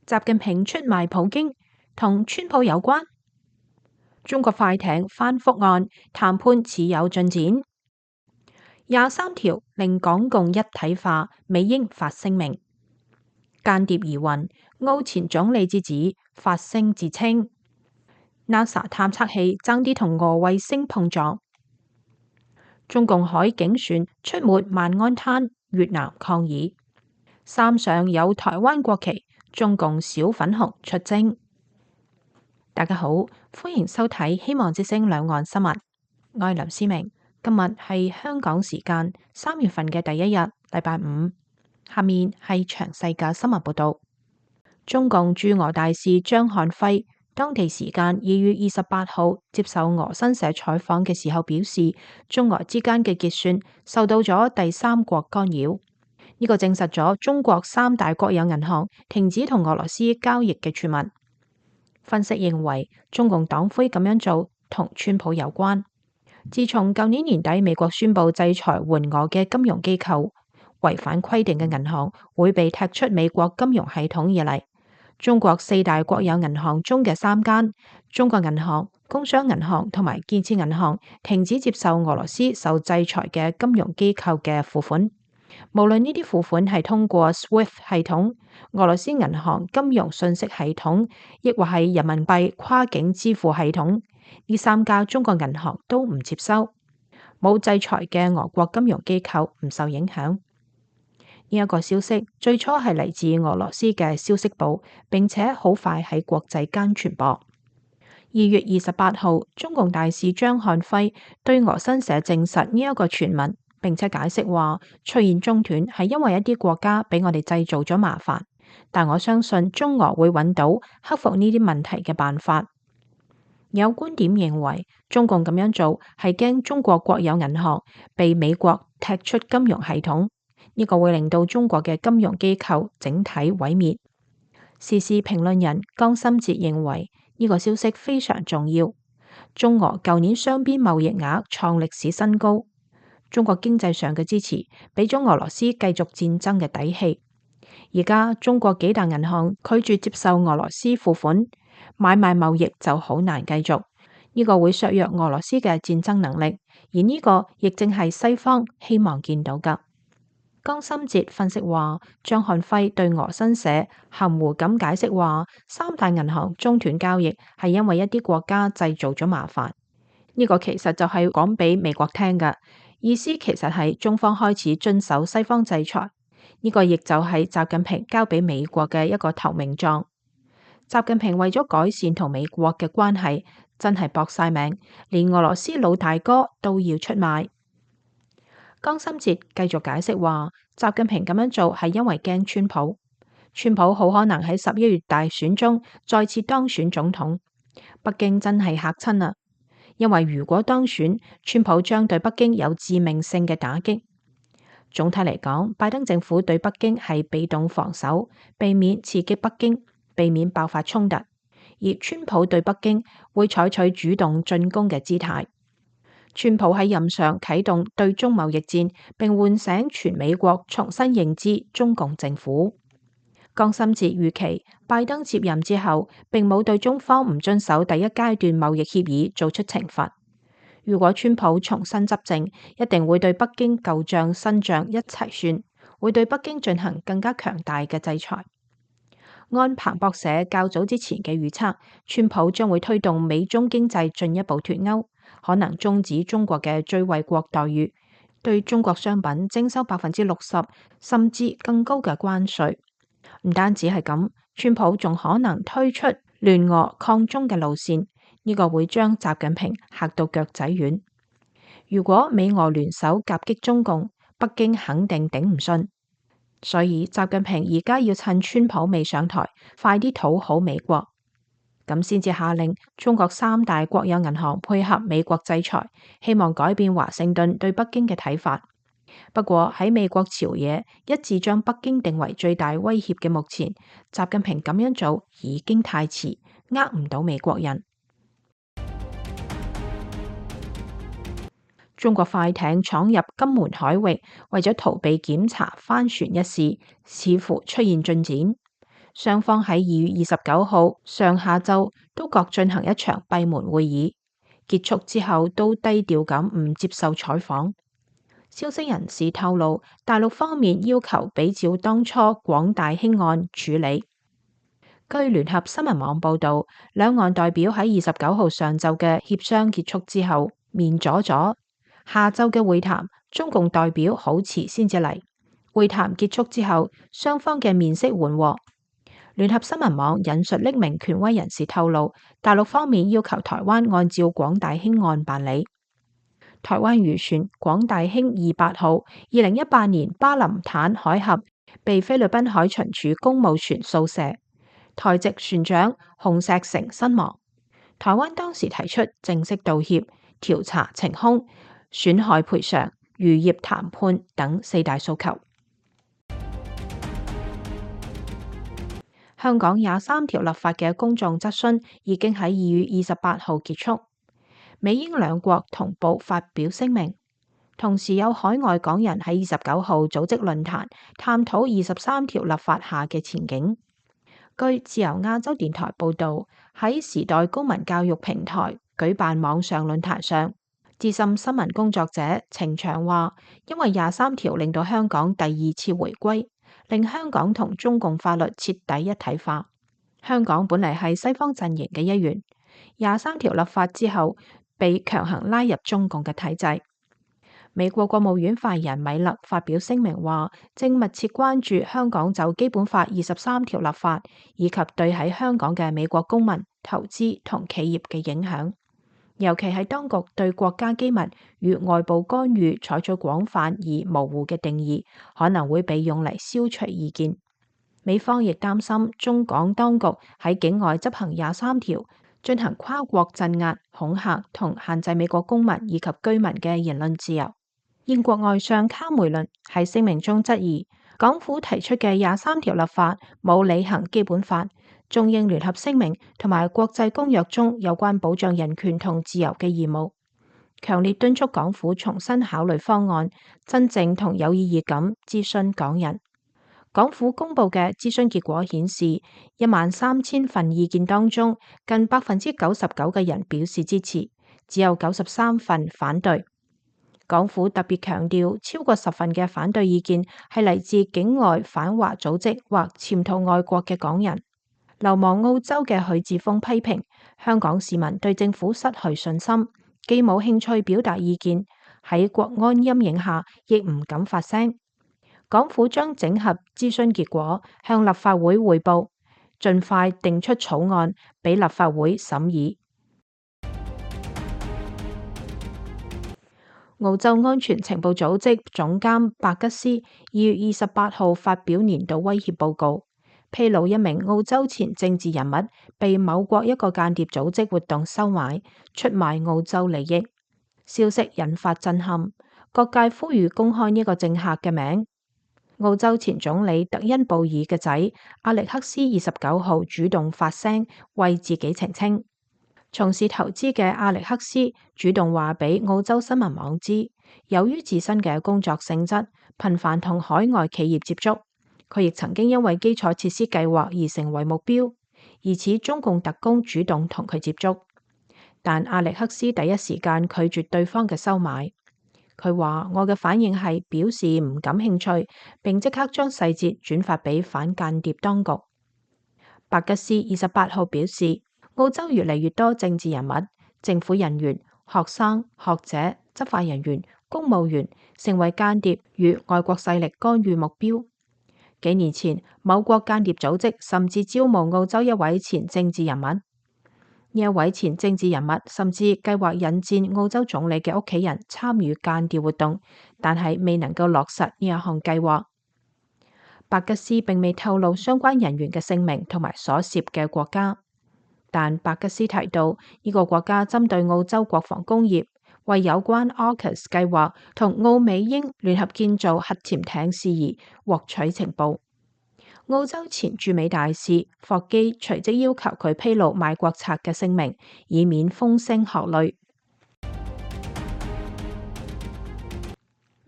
習近平出賣普京同川普有關？中國快艇翻覆案談判似有進展。23條令港共一體化，美英發聲明。間諜疑雲，澳前總理之子發聲自稱。NASA 探測器爭啲同俄衛星碰撞。中共海警船出沒萬安灘，越南抗議。傘上有台灣國旗，中共小粉紅出征。大家好，歡迎收睇希望之聲兩岸新聞。我係劉思明，今日係香港時間3月份嘅第一日，禮拜五。下面係詳細嘅新聞報道。中共駐俄大使張漢輝當地時間2月28號接受俄新社採訪嘅時候表示，中俄之間嘅結算受到咗第三國干擾。呢個證實咗中國3大國有銀行停止同俄羅斯交易嘅傳聞。分析認為，中共黨魁咁樣做同川普有關。自從舊年年底美國宣布制裁援俄嘅金融機構，違反規定嘅銀行會被踢出美國金融系統以嚟，中國4大國有銀行中嘅3間，中國銀行、工商銀行同埋建設銀行停止接受俄羅斯受制裁嘅金融機構嘅付款。無論呢啲付款係通過 SWIFT 系統、俄羅斯銀行金融信息系統，亦或係人民幣跨境支付系統，呢3家中國銀行都唔接收。冇制裁嘅俄國金融機構唔受影響。呢一個消息最初係嚟自俄羅斯嘅消息部，並且好快喺國際間傳播。2月28號，中共大使張漢輝對俄新社證實呢一個傳聞，並且解釋話出現中斷係因為一啲國家俾我哋製造咗麻煩，但我相信中俄會揾到克服呢啲問題嘅辦法。有觀點認為，中共咁樣做係驚中國國有銀行被美國踢出金融系統，呢個會令到中國嘅金融機構整體毀滅。時事評論人江心哲認為呢個消息非常重要。中俄舊年雙邊貿易額創歷史新高，中國經濟上嘅支持俾咗俄羅斯繼續戰爭嘅底氣。而家中國幾大銀行拒絕接受俄羅斯付款，買賣貿易就好難繼續，呢個會削弱俄羅斯嘅戰爭能力，而呢個亦正係西方希望見到㗎。江心哲分析話，張漢輝對俄新社含糊咁解釋話，3大銀行中斷交易係因為一啲國家製造咗麻煩，呢個其實就係講俾美國聽㗎，意思其實係中方開始遵守西方制裁，呢個亦就係習近平交俾美國嘅一個投名狀。習近平為咗改善同美國嘅關係，真係搏晒命，連俄羅斯老大哥都要出賣。江心哲繼續解釋話，習近平咁樣做係因為驚川普，川普好可能喺11月大選中再次當選總統。北京真係嚇親啦，因為如果當選，川普將對北京有致命性嘅打擊。總體嚟講，拜登政府對北京係被動防守，避免刺激北京，避免爆發衝突；而川普對北京會採取主動進攻嘅姿態。川普喺任上啟動對中貿易戰，並喚醒全美國重新認知中共政府。江心哲預期拜登接任之後，並冇對中方唔遵守第一階段貿易協議做出懲罰。如果川普重新執政，一定會對北京舊賬新賬一齊算，會對北京進行更加強大嘅制裁。按彭博社較早之前嘅預測，川普將會推動美中經濟進一步脫鈎，可能終止中國嘅最惠國待遇，對中國商品徵收60%甚至更高嘅關稅。唔單止係咁，川普仲可能推出聯俄抗中嘅路線，呢個會將習近平嚇到腳仔軟。如果美俄聯手夾擊中共，北京肯定頂唔順。所以習近平而家要趁川普未上台，快啲討好美國，咁先至下令中國3大國有銀行配合美國制裁，希望改變華盛頓對北京嘅睇法。不過喺美國朝野一致將北京定為最大威脅嘅目前，習近平咁樣做已經太遲，呃唔到美國人。中國快艇闖入金門海域，為咗逃避檢查翻船一事，似乎出現進展。雙方喺2月29號上下晝都各進行一場閉門會議，結束之後都低調咁唔接受採訪。消息人士透露，大陸方面要求比照當初廣大興案處理。據聯合新聞網報導，兩岸代表喺29號上晝嘅協商結束之後面阻阻，下晝嘅會談，中共代表好遲先至嚟。會談結束之後，雙方嘅面色緩和。聯合新聞網引述匿名權威人士透露，大陸方面要求台灣按照廣大興案辦理。台灣漁船廣大興28號2018年巴林坦海峽被菲律賓海巡署公務船掃射，台籍船長洪石成身亡。台灣當時提出正式道歉、調查情兇、損害賠償、漁業談判等4大訴求。香港23條立法嘅公眾質詢已經喺2月28號結束，美英兩國同步發表聲明，同時有海外港人喺29號組織論壇，探討23條立法下嘅前景。據自由亞洲電台報導，喺時代公民教育平台舉辦網上論壇上，資深新聞工作者程翔話，因為23條令到香港第2次回歸，令香港同中共法律徹底一體化。香港本嚟係西方陣營嘅一員，23條立法之後被強行拉入中共嘅體制。美國國務院發言人米勒發表聲明話，正密切關注香港就基本法23條立法，以及對喺香港嘅美國公民、投資同企業嘅影響，尤其係當局對國家機密與外部干預採取廣泛而模糊嘅定義，可能會被用嚟消除意見。美方亦擔心中港當局喺境外執行23條，進行跨國鎮壓、恐嚇同限制美國公民以及居民嘅言論自由。英國外相卡梅倫喺聲明中質疑港府提出嘅23條立法冇履行基本法、中英聯合聲明同埋國際公約中有關保障人權同自由嘅義務，強烈敦促港府重新考慮方案，真正同有意義咁諮詢港人。港府公布嘅諮詢結果顯示，13000份意見當中，近99%嘅人表示支持，只有93份反對。港府特別強調，超過10份嘅反對意見係嚟自境外反華組織或潛逃外國嘅港人。流亡澳洲嘅許智峰批評香港市民對政府失去信心，既冇興趣表達意見，喺國安陰影下亦唔敢發聲。港府將整合諮詢結果向立法會匯報，盡快定出草案俾立法會審議。澳洲安全情報組織總監白吉斯2月28號發表年度威脅報告，披露一名澳洲前政治人物被某國一個間諜組織活動收買，出賣澳洲利益。消息引發震撼，各界呼籲公開呢個政客嘅名。澳洲前總理特恩布爾嘅仔阿力克斯29號主動發聲，為自己澄清。從事投資嘅阿力克斯主動話俾澳洲新聞網知，由於自身嘅工作性質，頻繁同海外企業接觸，佢亦曾經因為基礎設施計劃而成為目標，疑似中共特工主動同佢接觸。但阿力克斯第一時間拒絕對方嘅收買。佢話：我嘅反應係表示唔感興趣，並即刻將細節轉發俾反間諜當局。白吉斯28號表示，澳洲越嚟越多政治人物、政府人員、學生、學者、執法人員、公務員成為間諜與外國勢力干預目標。幾年前，某國間諜組織甚至招募澳洲一位前政治人物。呢一位前政治人物甚至計劃引薦澳洲總理嘅屋企人參與間諜活動，但係未能夠落實呢一項計劃。白吉斯並未透露相關人員嘅姓名同埋所涉嘅國家。但白吉斯提到，呢個國家針對澳洲國防工業，為有關 AUKUS 計劃同澳美英聯合建造核潛艇事宜獲取情報。澳洲前駐美大使霍基隨即要求佢披露賣國賊嘅姓名，以免風聲鶴唳。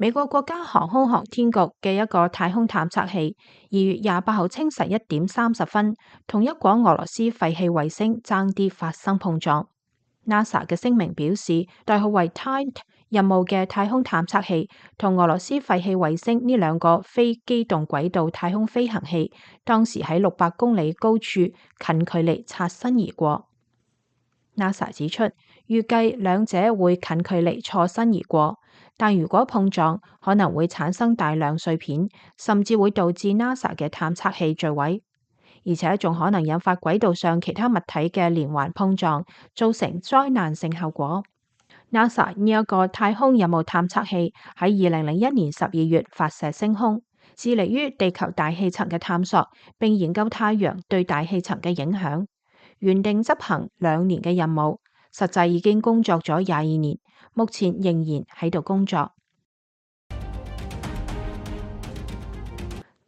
美國國家航空航天局嘅一個太空探測器2月28號清晨1點30分，同一顆俄羅斯廢棄衛星爭啲發生碰撞。NASA 嘅聲明表示，代號為 Titan 任務嘅太空探測器同俄羅斯廢棄衛星呢兩個非機動軌道太空飛行器，當時喺600公里高處近距離擦身而過。NASA 指出，預計兩者會近距離錯身而過，但如果碰撞，可能會產生大量碎片，甚至會導致 NASA 嘅探測器墜毀，而且仲可能引發軌道上其他物體嘅連環碰撞，造成災難性後果。NASA 呢一個太空任務探測器喺2001年12月發射升空，致力於地球大氣層嘅探索，並研究太陽對大氣層嘅影響。原定執行2年嘅任務，實際已經工作咗22年，目前仍然喺度工作。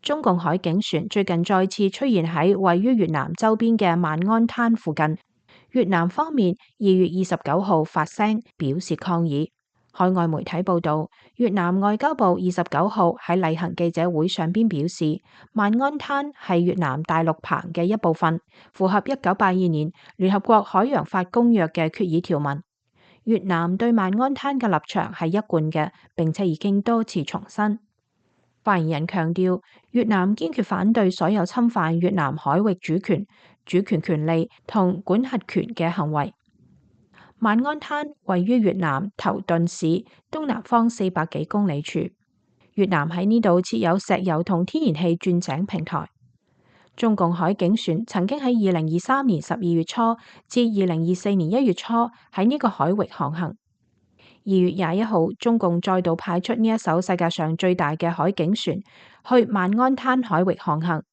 中共海警船最近再次出現喺位於越南周邊嘅萬安灘附近，越南方面2月29號發聲表示抗議。海外媒體報道，越南外交部29號喺例行記者會上邊表示，萬安灘係越南大陸棚嘅一部分，符合1982年聯合國海洋法公約嘅決議條文。越南對萬安灘嘅立場係一貫嘅，並且已經多次重申。發言人強調，越南堅決反對所有侵犯越南海域主權權利同管轄權嘅行為。萬安灘位於越南頭頓市東南方400幾公里處，越南喺呢度設有石油同天然氣鑽井平台。中共海警船曾經喺2023年12月初至2024年1月初喺呢個海域航行。2月21號，中共再度派出呢一艘世界上最大嘅海警船去萬安灘海域航行。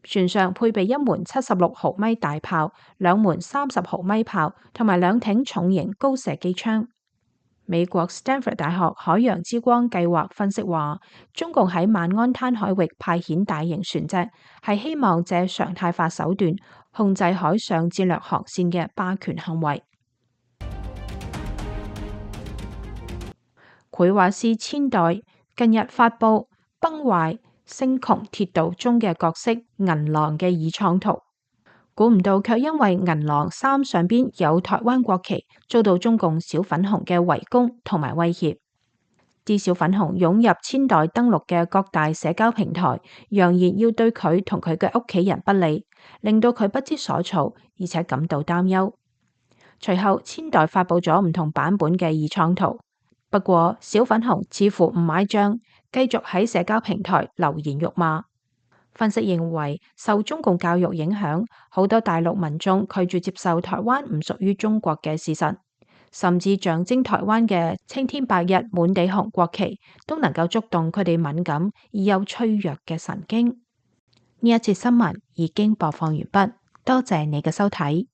船上配備1門76毫米大炮、2門30毫米炮同埋2挺重型高射機槍。美國 Stanford 大學海洋之光計劃分析話，中共喺萬安灘海域派遣大型船隻，係希望借常態化手段控制海上戰略航線嘅霸權行為。繪畫師千代近日發布崩壞星穹鐵道中嘅角色銀狼嘅二創圖，估唔到卻因為銀狼衫上邊有台灣國旗，遭到中共小粉紅嘅圍攻同埋威脅。啲小粉紅湧入千代登陸嘅各大社交平台，揚言要對佢同佢嘅屋企人不利，令到佢不知所措，而且感到擔憂。隨後千代發布咗唔同版本嘅二創圖。不過小粉紅似乎唔買賬，繼續喺社交平台留言辱罵。分析認為，受中共教育影響，好多大陸民眾拒絕接受台灣唔屬於中國嘅事實，甚至象徵台灣嘅青天白日滿地紅國旗都能夠觸動佢哋敏感而又脆弱嘅神經。呢一節新聞已經播放完畢，多謝你嘅收睇。